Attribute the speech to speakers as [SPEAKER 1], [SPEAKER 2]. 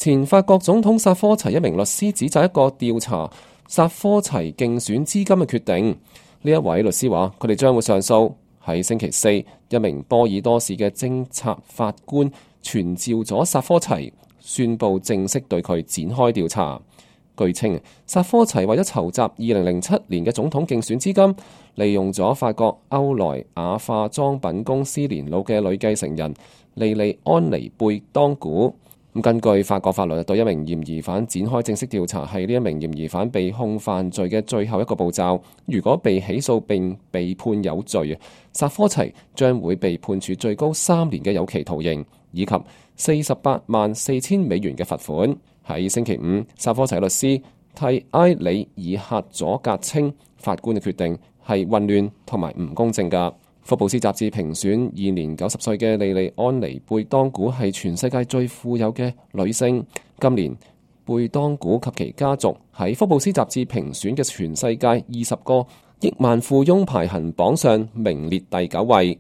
[SPEAKER 1] 前法國總統薩科齊一名律師指責一個調查薩科齊競選資金嘅決定。呢一位律師話：佢哋將會上訴。喺星期四，一名波爾多市嘅偵察法官傳召咗薩科齊，宣布正式對佢展開調查。據稱，薩科齊為咗籌集2007年嘅總統競選資金，利用咗法國歐萊雅化妝品公司年老嘅女繼承人莉莉安妮貝當古。根據法國法律，對一名嫌疑犯展開正式調查係呢一名嫌疑犯被控犯罪嘅最後一個步驟。如果被起訴並被判有罪，薩科齊將會被判處最高3年嘅有期徒刑，以及484000美元嘅罰款。喺星期五，薩科齊律師替埃里爾克佐格稱，法官嘅決定係混亂同埋唔公正㗎。福布斯雜誌評選現年90歲嘅莉莉安妮貝當古係全世界最富有嘅女性。今年貝當古及其家族喺福布斯雜誌評選嘅全世界20個億萬富翁排行榜上名列第9位。